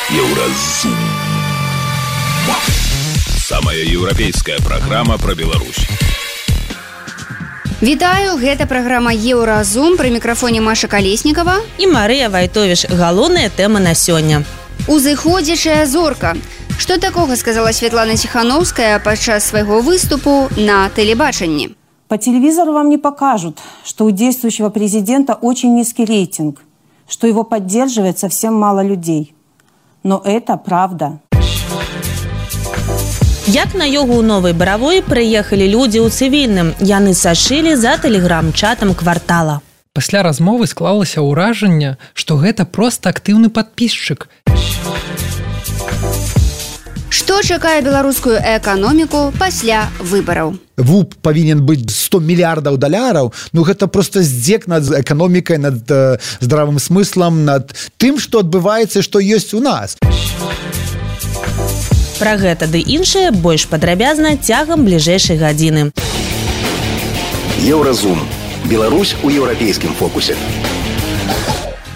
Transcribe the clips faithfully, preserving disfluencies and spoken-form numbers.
Еўразум. Самая еўрапейская праграма пра Беларусь. Вітаю, гэта праграма Еўразум, пры мікрафоне Маша Калеснікава і Марыя Вайтовіч. Галоўная тэма на сёння. Узыходзячая зорка. Што такога сказала Святлана Тихановская падчас свайго выступу на тэлебачанні? По телевизору вам не покажут, что у действующего президента очень низкий рейтинг, что его поддерживает совсем мало людей. Но это правда. Як на ёгу ў Новай Баравой прыехалі людзі ў цывільным. Яны сачылі за тэлеграм-чатам квартала. Пасля размовы склалася ўражанне, што гэта проста актыўны падпісчык. Што чакае беларускую эканоміку пасля выбараў? ВУП павінен быць сто мільярдаў даляраў. Ну гэта проста здзек над эканомікай, над э, здравым смыслам, над тым, што адбываецца, што ёсць у нас. Пра гэта ды іншае больш падрабязна цягам бліжэйшай гадзіны. Еўразум. Беларусь у еўрапейскім фокусе.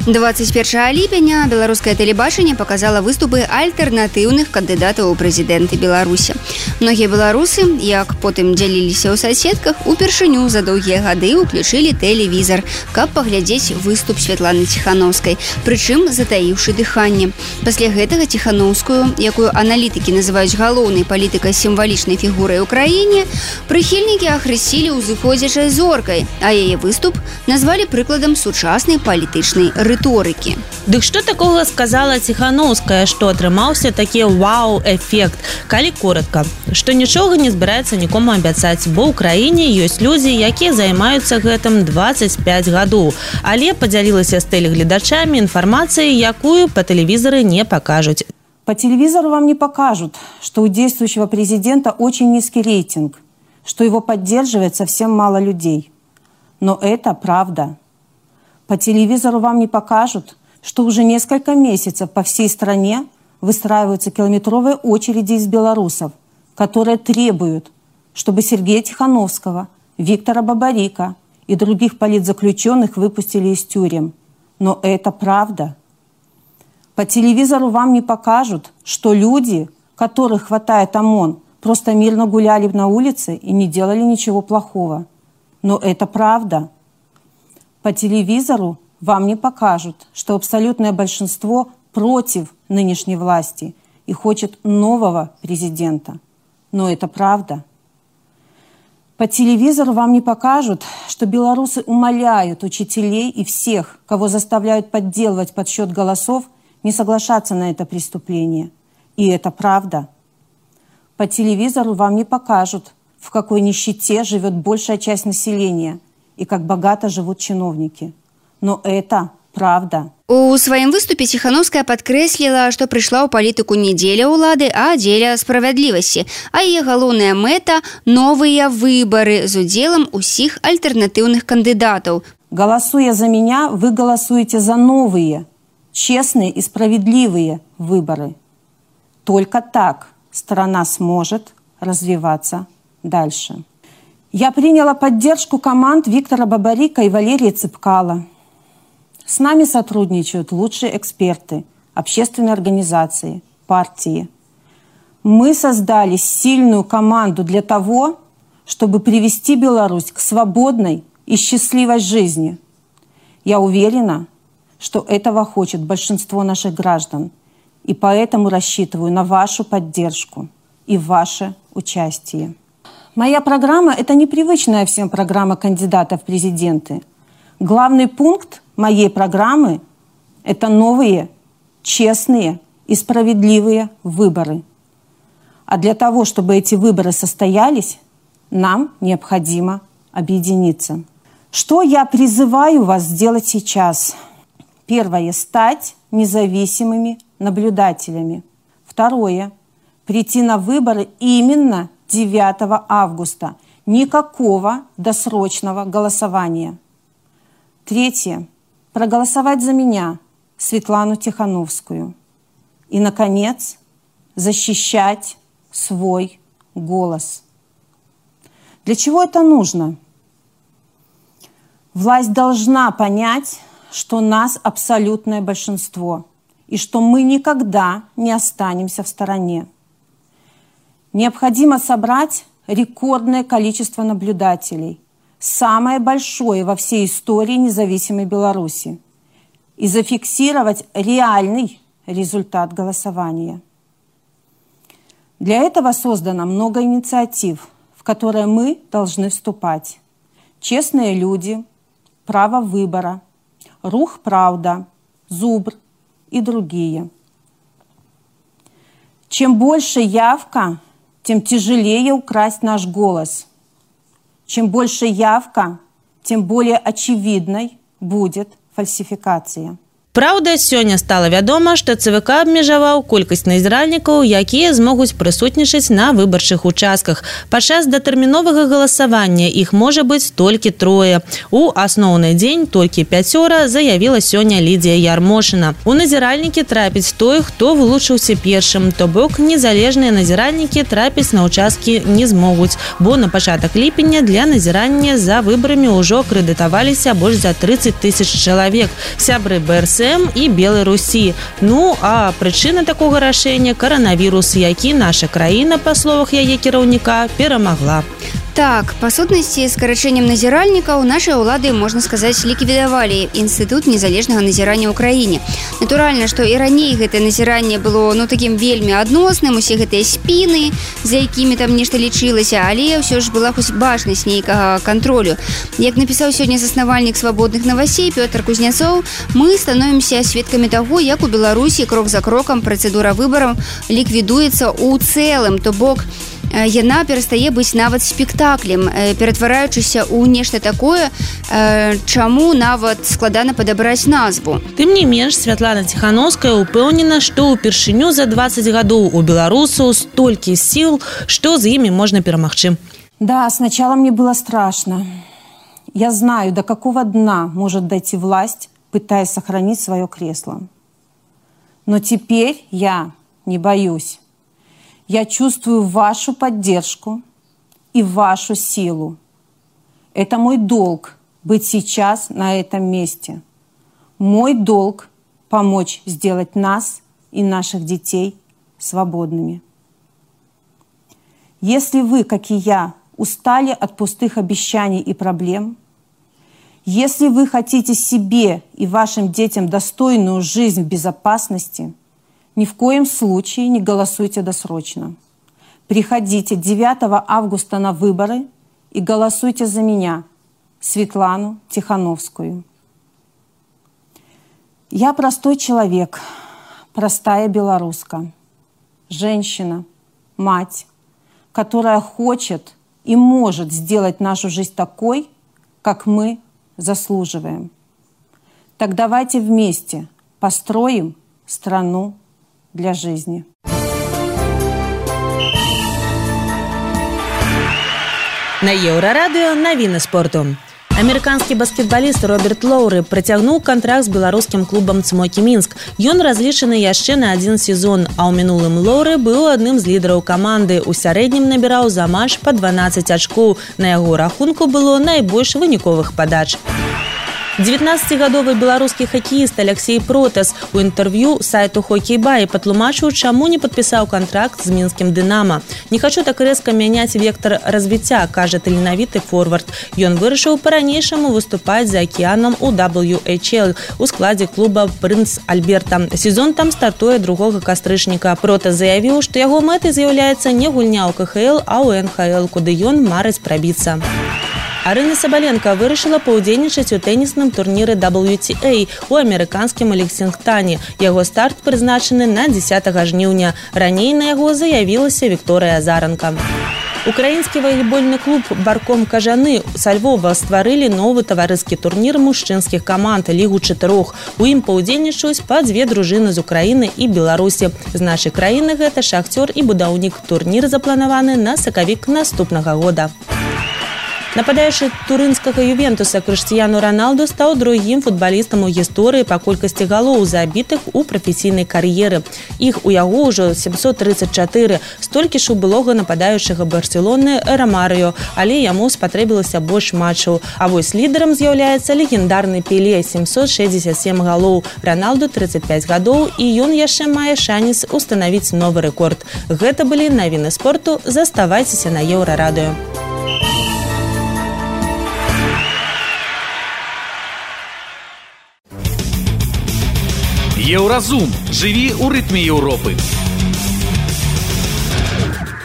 двадцать первого ліпеня беларускае тэлебачанне показала выступы альтэрнатыўных кандыдатаў у прэзідэнты Беларусі. Многія беларусы, як потым дзяліліся ў соцсетках, упершыню за доўгія гады ўключылі тэлевізар, каб паглядзець выступ Святланы Тихановскай, прычым затаіўшы дыханне. Пасля гэтага Тихановскую, якую аналітыкі называюць галоўнай палітыкай сімвалічнай фігурай у краіне, прыхільнікі ахрысцілі ўзыходзячай зоркай, а яе выступ назвалі прыкладам сучаснай палітычнай рыторыкі. Дык што такога сказала Тихановская, што атрымаўся такі вау-эфект? Калі коратка, што нічога не збіраецца нікому абяцаць, бо ў краіне ёсць людзі, якія займаюцца гэтым двадцать пять гадоў, але падзялілася з тэлегледачамі інфармацыяй, якую па тэлевізары не пакажуць. По телевизору вам не покажут, что у действующего президента очень низкий рейтинг, что его поддерживает совсем мало людей. Но это правда. По телевизору вам не покажут, что уже несколько месяцев по всей стране выстраиваются километровые очереди из белорусов, которые требуют, чтобы Сергея Тихановского, Виктора Бабарика и других политзаключенных выпустили из тюрем. Но это правда. По телевизору вам не покажут, что люди, которых хватает ОМОН, просто мирно гуляли на улице и не делали ничего плохого. Но это правда. По телевизору вам не покажут, что абсолютное большинство против нынешней власти и хочет нового президента. Но это правда. По телевизору вам не покажут, что белорусы умоляют учителей и всех, кого заставляют подделывать подсчет голосов, не соглашаться на это преступление. И это правда. По телевизору вам не покажут, в какой нищете живет большая часть населения и как богато живут чиновники. Но это правда. У сваім выступе Тихановская падкрэсліла, што прыйшла ў палітыку не дзеля ўлады, а дзеля справядлівасці. А яе галоўная мэта – новыя выбары з удзелам усіх альтэрнатыўных кандыдатаў. Голосуя за меня, вы голосуете за новые, честные и справедливые выборы. Только так страна сможет развиваться дальше. Я приняла поддержку команд Виктора Бабарика и Валерии Цыпкала. С нами сотрудничают лучшие эксперты, общественные организации, партии. Мы создали сильную команду для того, чтобы привести Беларусь к свободной и счастливой жизни. Я уверена, что этого хочет большинство наших граждан, и поэтому рассчитываю на вашу поддержку и ваше участие. Моя программа – это непривычная всем программа кандидатов в президенты. Главный пункт моей программы – это новые, честные и справедливые выборы. А для того, чтобы эти выборы состоялись, нам необходимо объединиться. Что я призываю вас сделать сейчас? Первое – стать независимыми наблюдателями. Второе – прийти на выборы именно девятого августа. Никакого досрочного голосования. Третье. Проголосовать за меня, Светлану Тихановскую. И, наконец, защищать свой голос. Для чего это нужно? Власть должна понять, что нас абсолютное большинство. и что мы никогда не останемся в стороне. Необходимо собрать рекордное количество наблюдателей, самое большое во всей истории независимой Беларуси, и зафиксировать реальный результат голосования. Для этого создано много инициатив, в которые мы должны вступать. «Честные люди», «Право выбора», «Рух Правда», «Зубр» и другие. Чем больше явка, тем тяжелее украсть наш голос. Чем больше явка, тем более очевидной будет фальсификация. Праўда, сёння стала вядома, што ЦВК абмежаваў колькасць назіральнікаў, якія змогуць прысутнічаць на выбарчых участках. Падчас датэрміновага галасавання іх можа быць толькі трое. У асноўны дзень толькі пяцёра, заявіла сёння Лідія Ярмошына. У назіральнікі трапіць той, хто вылучыўся першым, то бок незалежныя назіральнікі трапіць на участкі не змогуць, бо на пачатак ліпеня для назірання за выбарамі ўжо акрэдытаваліся больш за тридцать тысяч чалавек. Сябры БРС і Беларусі. Ну, а прычына такога рашэння – каранавірус, які наша краіна, па словах яе кіраўніка, перамагла. Так, па сутнасці, скарачэннем назіральнікаў нашыя ўлады, можна сказаць, ліквідавалі інстытут незалежнага назірання ў краіне. Натуральна, што і раней гэтае назіранне было ну такім вельмі адносным, усе гэтыя спіны, за якімі там нешта лічылася, але ўсё ж была хоць бачнасць нейкага кантролю. Як напісаў сёння заснавальнік свабодных новасей Пётр Кузнецоў, мы становімся сведкамі таго, як у Беларусі крок за крокам працэдура выбараў ліквідуецца ў цэлым, то бок яна перастае быць нават спектаклем, ператвараючыся ў нешта такое, чаму нават складана падабраць назву. Тым не менш, Святлана Ціхановская упэўнена, што ўпершыню за двадцать гадоў у беларусаў столькі сіл, што з імі можна перамагчы. Да, сначала мне было страшно. Я знаю, до какого дна может дойти власть, пытаясь сохранить свое кресло. Но теперь я не боюсь. Я чувствую вашу поддержку и вашу силу. Это мой долг быть сейчас на этом месте. Мой долг помочь сделать нас и наших детей свободными. Если вы, как и я, устали от пустых обещаний и проблем, если вы хотите себе и вашим детям достойную жизнь в безопасности, ни в коем случае не голосуйте досрочно. Приходите девятого августа на выборы и голосуйте за меня, Светлану Тихановскую. Я простой человек, простая белоруска, женщина, мать, которая хочет и может сделать нашу жизнь такой, как мы заслуживаем. Так давайте вместе построим страну для жизни. На Еўрарадыё навіны спорту. Амерыканскі баскетбаліст Роберт Лоўры працягнуў кантракт з беларускім клубам «Цмокі Мінск». Ён разлічаны яшчэ на адзін сезон, а ў мінулым Лоўры быў адным з лідараў каманды. У сярэднім набіраў за матч па дванаццаць ачкоў. На яго рахунку было найбольш выніковых падач. дзевятнаццацігадовы беларускі хакеіст Алексей Протас у інтэрв'ю сайту «Хокей-бай» патлумачыў, чаму не падпісаў кантракт з мінскім «Дынама». «Не хочу так рэзка мяняць вектар развіцця», кажа таленавіты форвард. Ён вырашыў па-ранейшаму выступаць за акіянам у дабл ю эйч эл у складзе клуба «Прынц Альберта». Сезон там стартуе другога кастрычніка. Протас заявіў, што яго мэтай з'яўляецца не гульня ў ка ха эл, а ў эн ха эл, куды ён марыць прабіцца. Арына Сабаленко вырашыла паўдзельнічаць у тэнісным турніры дабл ю ти эй у амерыканскім Лексінгтане. Яго старт прызначаны на дзесятага жніўня. Раней на яго заявілася Вікторыя Азаранка. Украінскі валейбольны клуб «Барком Кажаны» са Львова стварылі новы таварыскі турнір мужчынскіх каманд «Лігу чатырох». У ім паўдзельнічаюць па дзве дружыны з Украіны і Беларусі. З нашай краіны гэта «Шахцёр» і «Будаўнік». Турнір запланаваны на сакавік наступнага года. Нападаючы турынскага Ювентуса Крыштиану Роналду стаў другім футбалістам у гісторыі па колькасці галоў забітых у прафесійнай кар'еры. Іх у яго ўжо сямсот тридцать чатыры, столькі ж у былога нападаючага Барселоны Ромарио, але яму спатрэбілася больш матчаў. А вось лідарам з'яўляецца легендарны Пеле, сямсот шэсцьдзесят сем галоў, Роналду тридцать пять гадоў, і ён яшчэ мае шанец устанавіць новы рэкорд. Гэта былі навіны спорту. Заставайцеся на Еўрарадыё. Еўразум. Жыві ў рытме Еўропы.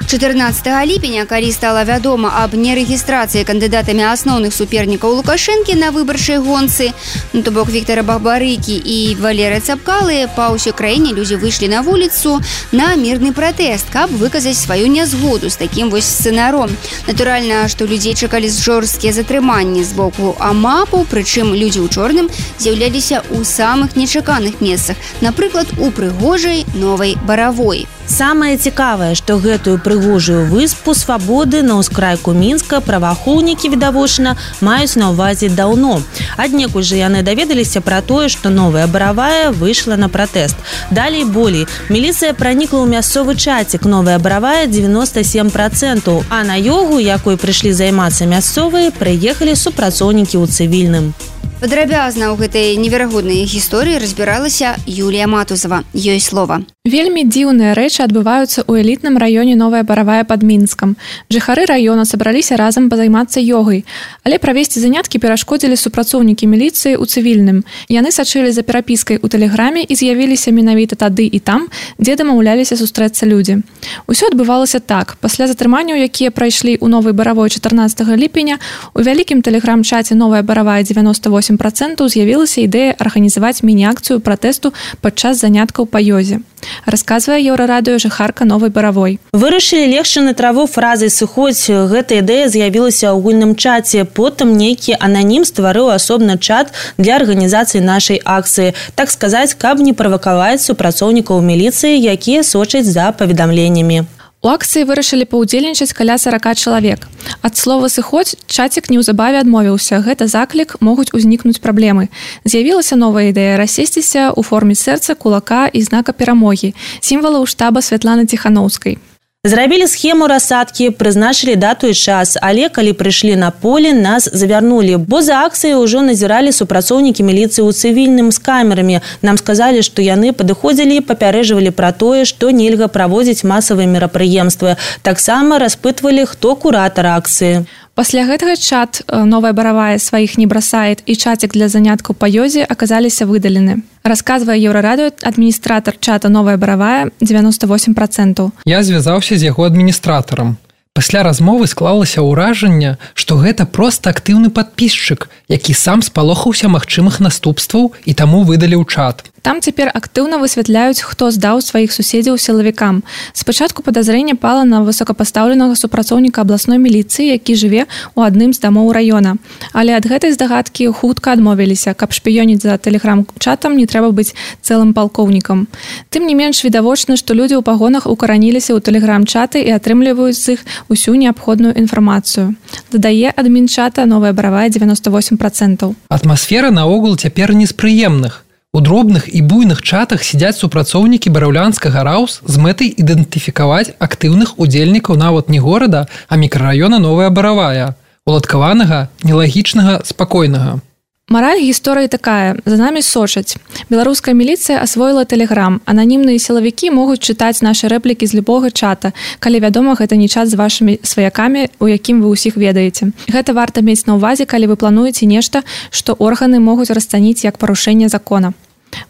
чатырнаццатага ліпеня, калі стала вядома аб нерэгістрацыі кандыдатамі асноўных супернікаў Лукашэнкі на выбарчай гонцы, ну, то бок Віктара Бабарыкі і Валерыя Цапкалы, па ўсёй краіне людзі выйшлі на вуліцу на мірны пратэст, каб выказаць сваю нязгоду з такім вось сцэнаром. Натуральна, што людзей чакалі жорсткія затрыманні з боку амапаў, прычым людзі ў чорным з'яўляліся ў самых нечаканых месцах, напрыклад, у прыгожай Новай Баравой. Самае цікавае, што гэтую прыгожую выспу свабоды на ўскрайку Мінска праваахоўнікі, відавочна, маюць на ўвазе даўно. Аднекуль жа яны даведаліся пра тое, што Новая Баравая выйшла на пратэст. Далей болей. Міліцыя пранікла ў мясцовы чацік Новая Баравая девяносто семь процентов, а на ёгу, якой прыйшлі займацца мясцовыя, прыехалі супрацоўнікі ў цывільным. Падрабязна ў гэтай неверагоднай гісторыі разбіралася Юлія Матузова. Ёй слова. Вельмі дзіўныя рэчы адбываюцца ў элітным раёне Новая Баравая пад Мінскам. Жыхары раёна сабраліся разам пазаймацца ёгай, але правесці заняткі перашкодзілі супрацоўнікі міліцыі ў цывільным. Яны сачылі за перапіскай у тэлеграме і з'явіліся менавіта тады і там, дзе дамаўляліся сустрэцца людзі. Усё адбывалася так. Пасля затрыманняў, якія прайшлі ў Новай Баравой чатырнаццатага ліпеня, у вялікім тэлеграм-чаце Новая Баравая девяносто восемь процентов з'явілася ідэя арганізаваць міні-акцыю пратэсту падчас заняткаў па ёзе. Расказвае Еўрарадыё жыхарка Новай Баравой. Вырашылі легчы на траву фразай «сыходзь». Гэта ідэя з'явілася ў агульным чаце. Потым нейкі ананім стварыў асобны чат для арганізацыі нашай акцыі. Так сказаць, каб не правакаваць супрацоўнікаў міліцыі, якія сочаць за паведамленнямі. У акцыі вырашылі паўдзельнічаць каля сорока чалавек. Ад слова «сыходзь» чацік неўзабаве адмовіўся. Гэта заклік, могуць узнікнуць праблемы. З'явілася новая ідэя рассесціся ў форме сэрца, кулака і знака перамогі, сімвалаў штаба Святланы Ціханаўскай. Зрабілі схему рассадкі, прызначылі дату і час, але калі прыйшлі на поле, нас завярнулі, бо за акцыяй ужо назіралі супрацоўнікі міліцыі ў цывільным з камерамі. Нам сказалі, што яны падыходзілі і папярэджвалі пра тое, што нельга праводзіць масавыя мерапрыемствы. Таксама распытвалі, хто куратар акцыі. Пасля гэтага чат Новая Баравая сваіх не бросает і чатик для заняткаў па ёзе аказаліся выдалены. Расказвае Еўрарадыё адміністратар чата Новая Баравая девяносто восемь процентов. Я звязаўся з яго адміністратарам. Пасля размовы склалася ўражанне, што гэта проста актыўны падпісчык, які сам спалохаўся магчымых наступстваў і таму выдаліў чат. Там цяпер актыўна высвятляюць, хто здаў сваіх суседзяў сілавікам. Спачатку падазрэнне пала на высокапастаўленага супрацоўніка абласной міліцыі, які жыве ў адным з дамоў раёна. Але ад гэтай здагадкі хутка адмовіліся, каб шпіёніць за тэлеграм-чатам не трэба быць цэлым палкоўнікам. Тым не менш відавочна, што людзі ў пагонах укараніліся ў тэлеграм-чаты і атрымліваюць з іх усю неабходную інфармацыю. Дадае адмінчата Новая Баравая девяносто восемь процентов. Атмасфера наогул цяпер не з прыемных. У дробных і буйных чатах сядзяць супрацоўнікі бараўлянскага раус з мэтай ідэнтыфікаваць актыўных удзельнікаў нават не горада, а мікрараёна Новая Баравая, уладкаванага, нелагічнага, спакойнага. Мараль гісторыі такая. За намі сочаць. Беларуская міліцыя асвоіла тэлеграм. Ананімныя сілавікі могуць чытаць нашы рэплікі з любога чата, калі вядома, гэта не чат з вашымі сваякамі, у якім вы ўсіх ведаеце. Гэта варта мець на ўвазе, калі вы плануеце нешта, што органы могуць расцаніць як парушэнне закона.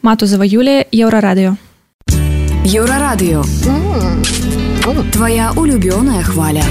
Матузова Юлія, Еўрарадыё. Еўрарадыё. Твоя улюбёная хваля.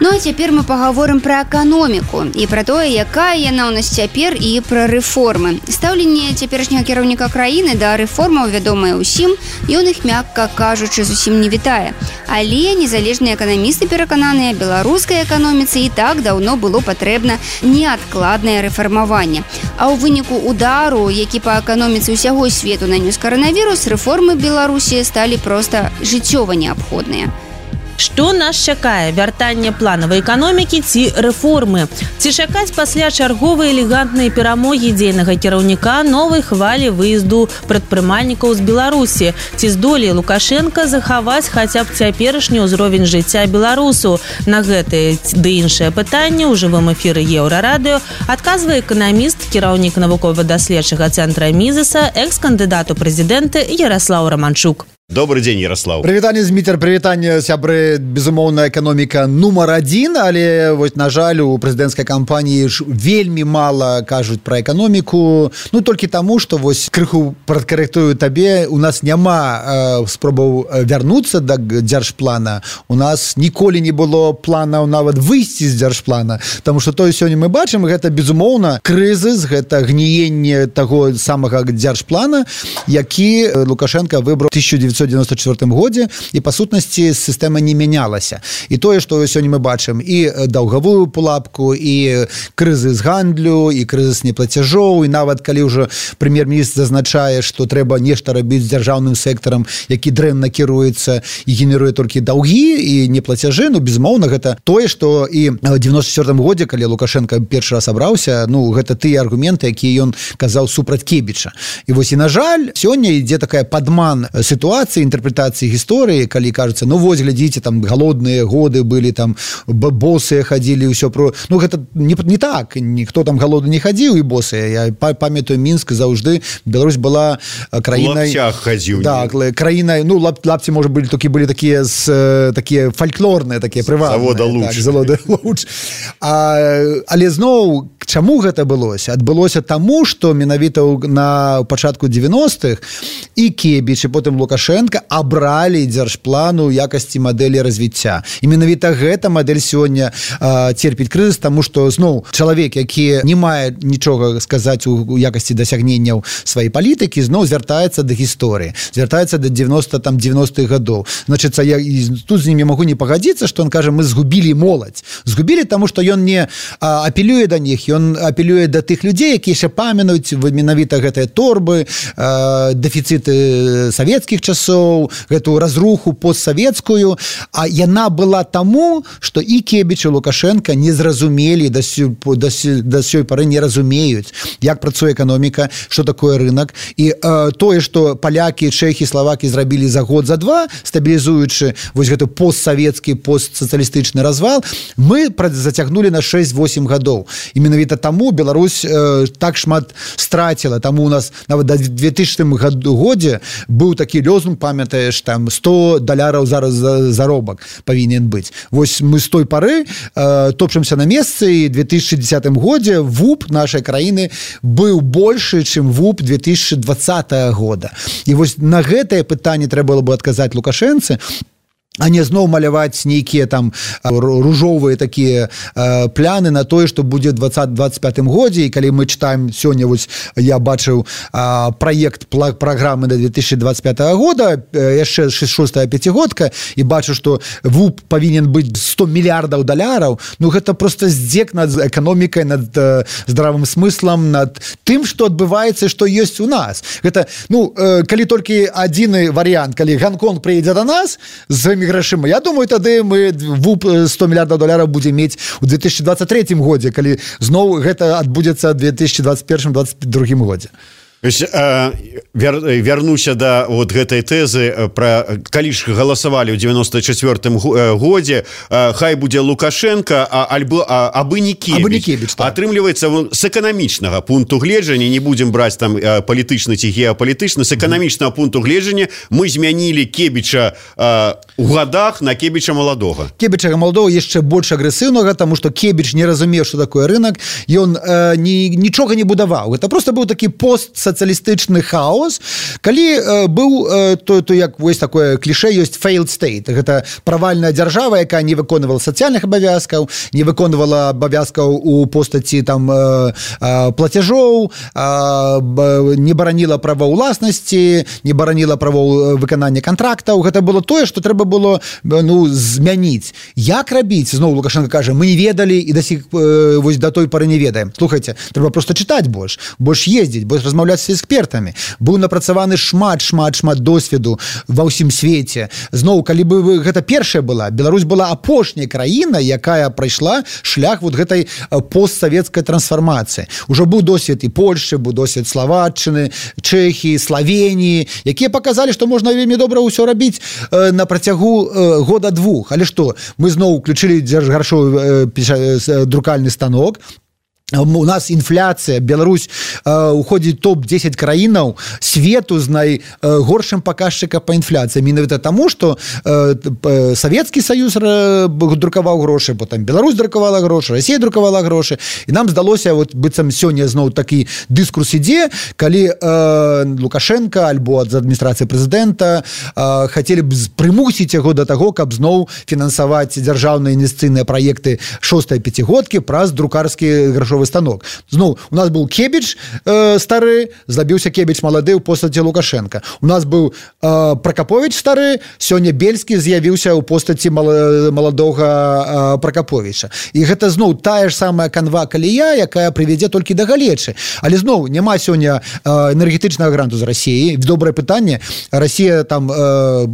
Ну а цяпер мы пагаворым пра эканоміку і пра тое, якая яна ў нас цяпер і пра рэформы. Стаўленне цяперашняга кіраўніка краіны да рэформаў вядомае ўсім, ён іх, мякка кажучы, зусім не вітае. Але незалежныя эканамісты перакананыя, беларускай эканоміцы і так даўно было патрэбна неадкладнае рэфармаванне. А ў выніку удару, які па эканоміцы ўсяго свету нанёс каранавірус, рэформы Беларусі сталі проста жыццёва неабходныя. Што нас чакае? Вяртанне планавай эканомікі ці рэформы? Ці чакаць пасля чарговай элегантнай перамогі дзейнага кіраўніка новай хвалі выезду прадпрымальнікаў з Беларусі? Ці здолее Лукашенко захаваць хаця б цяперашні ўзровень жыцця беларусу? На гэтые ды іншыя пытанні ў жывым эфіры Еўрарадыё адказвае эканаміст, кіраўнік навукова-даследчага цэнтра Мізеса, экс-кандыдат у прэзідэнты Ярослаў Романчук. Добрый дзень, Ярослав. Прывітанне, Зміцер, прывітанне, сябры. Безумоўна, эканоміка нумар адзін, але вось, на жаль, у прэзідэнцкай кампаніі ж вельмі мала кажуць пра эканоміку. Ну, толькі таму, што вось крыху прадкарэктую табе, у нас няма э, спробаў вярнуцца да дзяржплана. У нас ніколі не было планаў нават выйсці з дзяржплана. Таму што тое сёння мы бачым, гэта, безумоўна, крызіс, гэта гніенне таго самага дзяржплана, які Лукашенко выбраў тысяча девятьсот девяносто четвёртым годзе, і па сутнасці сістэма не мянялася. І тое, што сёння мы бачым і даўгавую пулапку, і крызіс гандлю, і крызіс неплацяжоў, і нават калі ўжо прэм'ер-міністр зазначае, што трэба нешта рабіць з дзяржаўным сектарам, які дрэнна кіруецца і генеруе толькі даўгі і неплацяжы, ну, безумоўна, гэта тое, што і ў девяносто четвёртым годзе, калі Лукашенко першы раз абраўся, ну, гэта тыя аргументы, якія ён казаў супраць Кебіча. І вось, і на жаль, сёння ідзе такая падман сітуацыі, інтэрпрэтацыі гісторыі, калі кажуцца, ну вось, глядзіце, там галодныя годы былі, там босыя хадзілі, ўсё про... Ну, гэта не, не так, ніхто там галодны не хадзіў і босыя. Я памятаю, Мінск заўжды, Беларусь была краінай... Лапцях хадзіў. Так, краінай, ну, лап, лапці, можа, былі, толькі былі такія, з, такія фальклорныя, такія прыватныя. Завода луч. Так, завода луч. А, але зноў, чаму гэта адбылося? Адбылося таму, што менавіта на пачатку девяностых і Кебіч, і потым Лукашенко абралі дзяржплану якасці мадэлі развіцця. І менавіта гэта мадэль сёння э, церпіць крызіс, таму што, зноў, чалавек, які не мае нічога сказаць у якасці дасягненняў сваёй палітыкі, зноў звяртаецца да гісторыі, звяртаецца да девяностых гадоў. Значыцца, я тут з імі магу не пагадзіцца, што ён кажа, мы згубілі моладзь. Згубілі, таму што ён не а, апелюе да них, ён апелюе да тых людзей, якія яшчэ памятаюць менавіта гэтыя торбы, а, дэфіцыты савецкіх часоў, гэту разруху постсавецкую, а яна была таму, што і Кебіч, і Лукашенко не зразумелі, да сёй, да, да сёй пары не разумеюць, як працуе эканоміка, што такое рынок. І э, тое, што палякі, чэхі, славакі зрабілі за год, за два, стабілізуючы вось гэты постсавецкі, постсацыялістычны развал, мы зацягнулі на шэсць-восем гадоў. І менавіта таму Беларусь э, так шмат страціла. Таму у нас нават да две тысячным годзе быў такі лёзунг, памятаеш, там сто даляраў зараз заробак павінен быць. Вось мы з той пары э, топчемся на месцы, і в две тысячи десятым годзе ВУП нашай краіны быў большы, чым ВУП две тысячи двадцатого года. І вось на гэтае пытанне трэба было бы адказаць Лукашэнцы, а не зноў маляваць нейкія там ружовыя такія э, пляны на тое, што будзе двадцатым двадцать пятым годзе. І калі мы чытаем сёння, вось я бачыў э, праект праграмы на две тысячи двадцать пятого года, э, яшчэ шостая пяцігодка, і бачу, што ВУП павінен быць сто мільярдаў даляраў. Ну гэта проста здзек над эканомікай, над э, здравым смыслам, над тым, што адбываецца, што ёсць у нас. Гэта, ну, э, калі толькі адзіны варыянт, калі Гонконг прыедзе да нас з грашыма. Я думаю, тады мы ВУП сто мільярдаў даляраў будзем мець у две тысячи двадцать третьем годзе, калі зноў гэта адбудзецца ў две тысячи двадцать первым двадцать другім годзе. Вярнуся да вот гэтай тэзы пра калі ж галасавалі ў девяносто четвёртым годзе, хай будзе Лукашенко, а альбо а, абы не Кебіч. Так. Атрымліваецца з эканамічнага пункту гледжання, не будзем браць там палітычны ці геапалітычны, з эканамічнага пункту гледжання мы змянілі Кебіча у гадах на Кебіча маладога. Кебіча маладога яшчэ больш агрэсіўнага, таму што Кебіч не разумеў, што такое рынок, ён э, ні, нічога не будаваў. Гэта проста быў такі пост сацыялістычны хаос, калі э, быў э, то, то як вось такое кліше ёсць failed state. Гэта правальная дзяржава, якая не выконвала сацыяльных абавязкаў, не выконвала абавязкаў у постаці там э, э, плацяжоў, э, не бараніла правоў уласнасці, не бараніла правоў выканання кантрактаў. Гэта было тое, што трэба было ну змяніць. Як рабіць? Зноў Лукашенко кажа, мы не ведалі і да сих э, вось да той пары не ведаем. Слухайце, трэба проста чытаць больш, больш ездзіць, больш размаўляць з экспертамі, быў напрацаваны шмат шмат шмат досведу ва ўсім свеце. Зноў, калі бы гэта першая была, Беларусь была апошняя краіна, якая прайшла шлях вот гэтай постсавецкай трансфармацыі. Ужо быў досвед і Польшчы, быў досвед Словаччыны, Чэхіі, Славеніі, якія паказалі, што можна вельмі добра ўсё рабіць на працягу года-двух. Але што, мы зноў уключылі дзяржгаршовы друкальны станок, у нас інфляцыя, Беларусь э, уходзіць топ дзесяць краінаў свету з найгоршым паказчыкам па інфляцыі. Менавіта таму, што э, Савецкі Саюз друкаваў грошы, потым Беларусь друкавала грошы, Расія друкавала грошы. І нам здалося, вот, быццам сёння зноў такі дыскурс ідзе, калі э, Лукашенко альбо з адміністрацыі прэзідэнта э, хацелі б прымусіць яго да таго, каб зноў фінансаваць дзяржаўныя інвестыцыйныя праекты шостай пяцігодкі праз друкарскі грашовы станок. Зноў, у нас быў Кебіч э, стары, злабіўся Кебіч малады ў постаці Лукашенка. У нас быў э, Пракаповіч стары, сёння Бельскі з'явіўся ў постаці маладога э, Пракаповіча. І гэта зноў тая ж самая канва калія, якая прывядзе толькі да галечы. Але зноў, няма сёння э, энергетычнага гранту з Расіі. Добрае пытанне. Расія там э,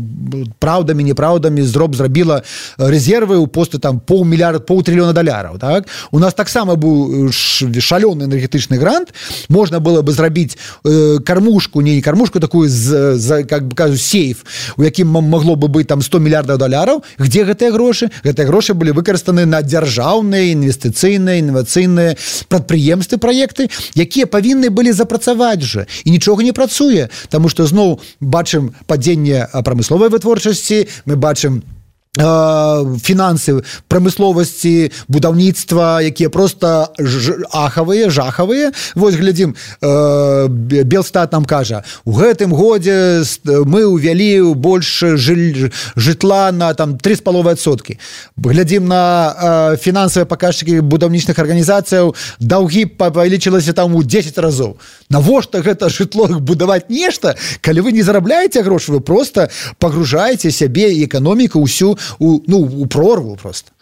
праўдамі, неправдамі зроб зрабіла рэзервы ў посты там паўмільярда, паўтрыльёна даляраў. Так? У нас таксама быў шалёны энергетычны грант, можна было бы зрабіць э, кармушку, не кармушку такую, з, з, как бы кажу, сейф, у якім могло бы быць там сто мільярдаў даляраў. Где гэтыя грошы? Гэтыя грошы былі выкарыстаны на дзяржаўныя, інвестыцыйныя, інавацыйныя прадпрыемствы, праекты, якія павінны былі запрацаваць же, і нічога не працуе, таму што зноў бачым падзенне прамысловай вытворчасці, мы бачым фінансы прамысловасці, будаўніцтва, якія просто ахавыя, жахавыя. Вось глядзім, Белстат нам кажа, у гэтым годзе мы ўвялі больш жытла на там тры з паловай адсоткі. Глядзім на фінансавыя паказчыкі будаўнічных арганізацыяў, даўгі павялічылася там у дзесяць разоў. Навошта гэта жытло будаваць нешта, калі вы не зарабляеце грошы, вы просто пагружаеце сябе і эканоміку ўсю у, ну, у прорву просто.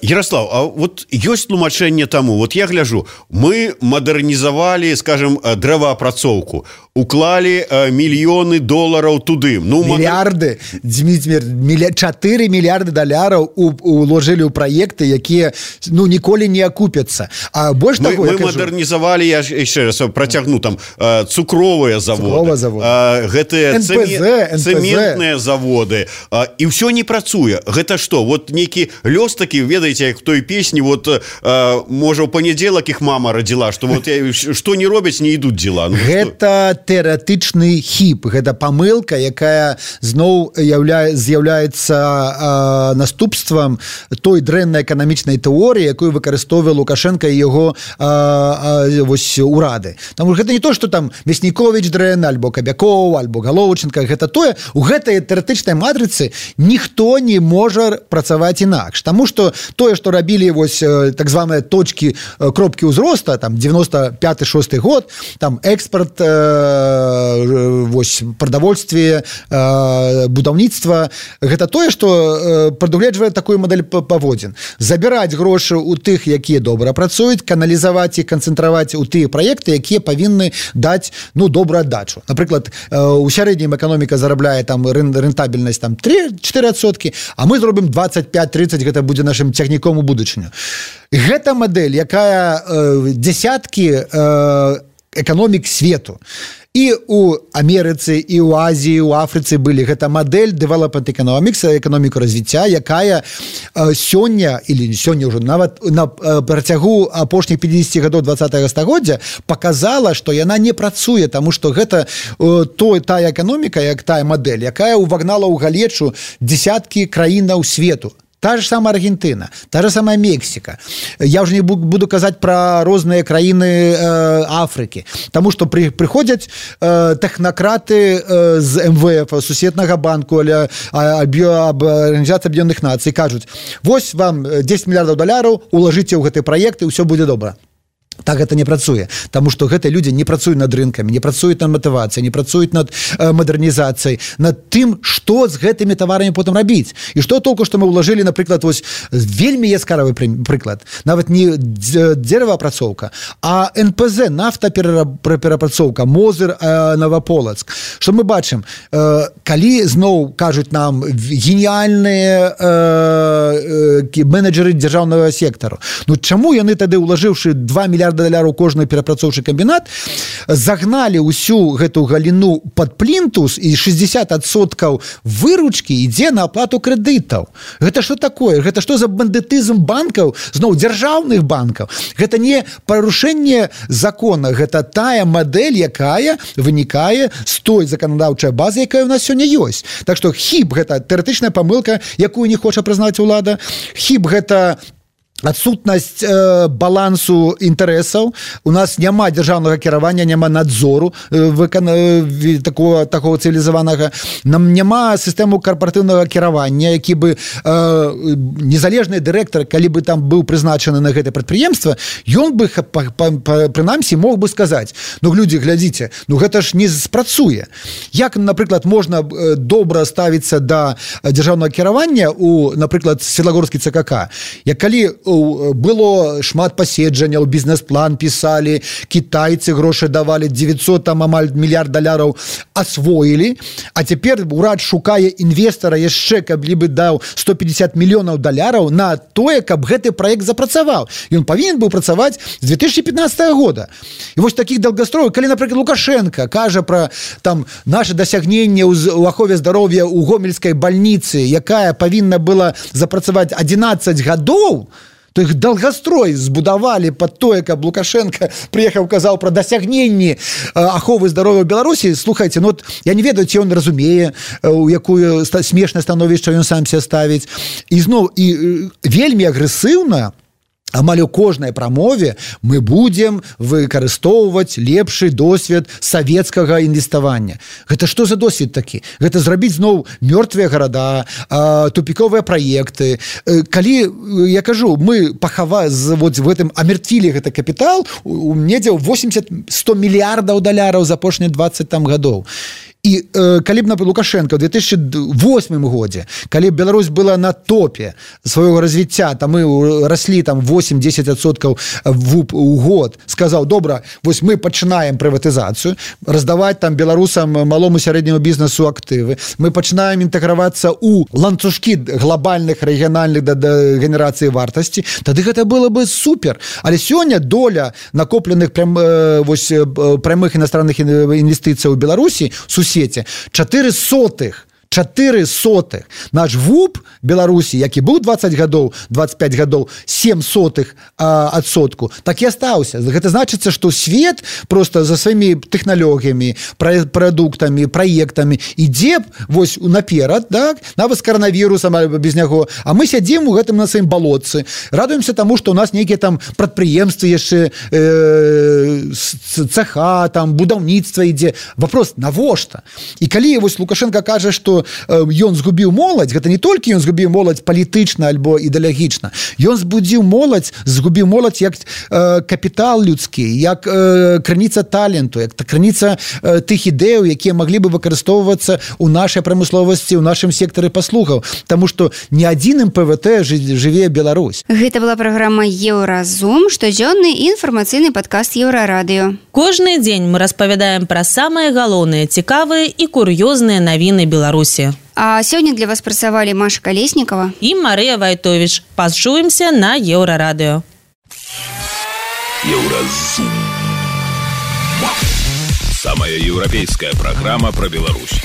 Ярослав, а вот ёсць тлумачэнне таму, вот я гляжу, мы мадэрнізавалі, скажем, дрэваапрацоўку, уклалі мільёны долараў туды. Ну, мільярды, мадэр... чатыры мільярды даляраў уложылі ў праекты, якія ну, ніколі не акупяцца. А больш мы, таго, мы мадэрнізавалі, я яшчэ раз працягну, там, цукровыя заводы, заводы. Гэтыя цэментныя заводы, і ўсё не працуе. Гэта што, вот нейкі лёс такі, ведаеце, як в той песні, вот, э, можа, ў панядзелак іх мама радзіла, што вот што не робяць, не ідуць дзела. Ну, гэта тэарэтычны хіп, гэта памылка, якая зноў явля... з'яўляецца э, наступствам той дрэннай эканамічнай тэорыі, якую выкарыстоўвае Лукашенко і яго э, э, вось, урады. Таму гэта не то, што там Мясніковіч дрэнны, альбо Кабякоў, альбо Галоўченка, гэта тое, у гэтай тэарэтычнай матрыцы ніхто не можа працаваць інакш. Таму што тое, што рабілі вось так званыя точкі кропкі ўзроста, там девяносто пятый шосты год, там экспорт, э, вось прадавольстве, э, будаўніцтва, гэта тое, што прадугледжвае такую мадэль паводзін. Забіраць грошы ў тых, якія добра працуюць, каналізаваць і канцэнтраваць у тыя праекты, якія павінны даць ну добрую аддачу. Напрыклад, у сярэднім эканоміка зарабляе там рэнтабельнасць там три-четыре адсоткі, а мы зробім двадцать пять тридцать, гэта будзе нашим цягніком у будучыню. Гэта мадэль, якая э, дзясяткі э, эканомік свету. І у Амерыцы, і ў Азіі, у Афрыцы былі. Гэта мадэль development economics, эканоміку развіцця, якая э, сёння, или сёння ўжо нават на э, працягу апошніх пятидесяти гадоў двадцатага стагоддзя показала, што яна не працуе, таму што гэта э, той, тая эканоміка, як тая мадэль, якая увагнала ў галечу дзясяткі краінаў свету. Та же самая Аргентина, та же самая Мексика. Я уже не буду казать про разные краины э, Африки, потому что при, приходят э, технократы э, з эм вэ эф, Сусветнага банку, или Организации Объединенных Наций, кажут, вось вам десять миллиардов долларов, уложите в гэты проект, и все будет добро. Так гэта не працуе, таму што гэтыя людзі не працуюць над рынкамі, не працуюць над матывацыяй, не працуюць над э, мадэрнізацыяй, над тым, што з гэтымі таварамі потым рабіць. І што толку, што мы ўлажылі, напрыклад, вось вельмі яскравы прыклад, нават не дзераваапрацоўка, а эн пэ зэ, нафтаперапрацоўка, Мозыр, э, Новополацк. Што мы бачым, э, калі зноў кажуць нам геніяльныя э, э, менеджеры дзяржаўнага сектару, ну чаму яны тады, ўлажыўшы два мільярда даляраў кожны перапрацоўчы камбінат, загналі ўсю гэту галіну пад плінтус і шэсцьдзесят адсоткаў выручкі ідзе на аплату крэдытаў. Гэта што такое? Гэта што за бандытызм банкаў, зноў дзяржаўных банкаў? Гэта не парушэнне закона, гэта тая мадэль, якая вынікае з той заканадаўчай базы, якая ў нас сёння ёсць. Так што хіб гэта тэарэтычная памылка, якую не хоча прызнаць улада, хіб гэта адсутнасць э, балансу інтарэсаў, у нас няма дзяржаўнага кіравання, няма надзору э, выкана... э, такого, такого цывілізаванага, нам няма сістэму карпаратыўнага кіравання, які бы э, незалежны дырэктар, калі бы там быў прызначаны на гэтае прадпрыемства, ён бы прынамсі мог бы сказаць, ну людзі, глядзіце, ну гэта ж не спрацуе. Як, напрыклад, можна добра ставіцца да дзяржаўнага кіравання у, напрыклад, Светлагорскі цэ ка ка, як калі было шмат паседжанняў, бізнес-план пісалі, кітайцы грошы давалі, дзевяцьсот там амаль мільярд даляраў асвоілі, а цяпер урад шукае інвестара яшчэ, каб либо даў сто пятьдесят мільёнаў даляраў на тое, каб гэты праект запрацаваў. Ён павінен быў працаваць з две тысячи пятнадцатого года. І вось такіх долгостроев, калі, напрыклад, Лукашенко кажа пра там наše дасягненне ў ахове здароўя ў гомельскай бальніцы, якая павінна была запрацаваць адзінаццаць гадоў, то их долгострой збудавалі под тое, каб Лукашенко приехаў, казаў пра дасягненні аховы здароўя ў Беларусі. Слухайте, ну вот я не ведаю, ці ён разумее, у якую смешнае становішча ён сам себе ставіць. І зноў і вельмі агрэсыўна амаль у кожнай прамове мы будем выкарыстоўваць лепшы досвед савецкага інвеставання. Гэта што за досвед такі? Гэта зрабіць зноў мёртвыя гарада, тупіковыя праекты. Калі, я кажу, мы пахава вот в гэтым амертвілі гэты капітал у недзе восемьдесят сто мільярдаў даляраў за апошнія двадцать там гадоў. І э, калі б, например, Лукашенко в две тысячи восьмым годзе, калі б Беларусь была на топе свайго развіцця, там мы рослі там восемь-десять адсоткаў у год, сказаў, добра, вось мы пачынаем прыватызацыю, раздаваць там беларусам, малому сярэдняму бізнесу актывы, мы пачынаем інтэгравацца ў ланцужкі глобальных рэгіянальных да, да генерацыі вартасці, тады гэта было бы супер. Але сёння доля накопленых прям, э, вось, прямых іностранных інвестыцый у Беларусі сусеце чатыры сотых чатыры сотых. Наш ВУП Беларусі, які быў двадцать гадоў, двадцать пять гадоў, семь сотых а, адсотку, так і астаўся. Гэта значыцца, што свет просто за сваімі тэхналогіямі, прадуктамі, праектамі ідзе вось наперад, так? Нават з каранавірусам альбо без няго. А мы сядзім у гэтым на сваім балотцы, радуемся таму, што ў нас нейкія там прадпрыемствы яшчэ э, цеха, там будаўніцтва ідзе. Вопрос, навошта? І калі вось Лукашенко кажа, што ён згубіў моладзь, гэта не толькі ён згубіў моладзь палітычна альбо ідэалагічна, ён збудзіў моладзь, згубіў моладзь як э, капітал людскі, як э, крыніца таленту, як крыніца э, тых ідэяў, якія маглі бы выкарыстоўвацца ў нашай прамысловасці, ў нашым сектары паслугаў, таму што не адзін эм пэ вэ тэ жыве Беларусь. Гэта была праграма Еўразум, штодзённы інфармацыйны падкаст Еўрарадыё. Кожны дзень мы распавядаем пра самыя галоўныя, цікавыя і кур'ёзныя навіны Беларусі. А сёння для вас працавалі Маша Калеснікова і Марыя Вайтовіч. Пачуемся на Еўрарадыё. Еўразум. Самая еўрапейская программа про Беларусь.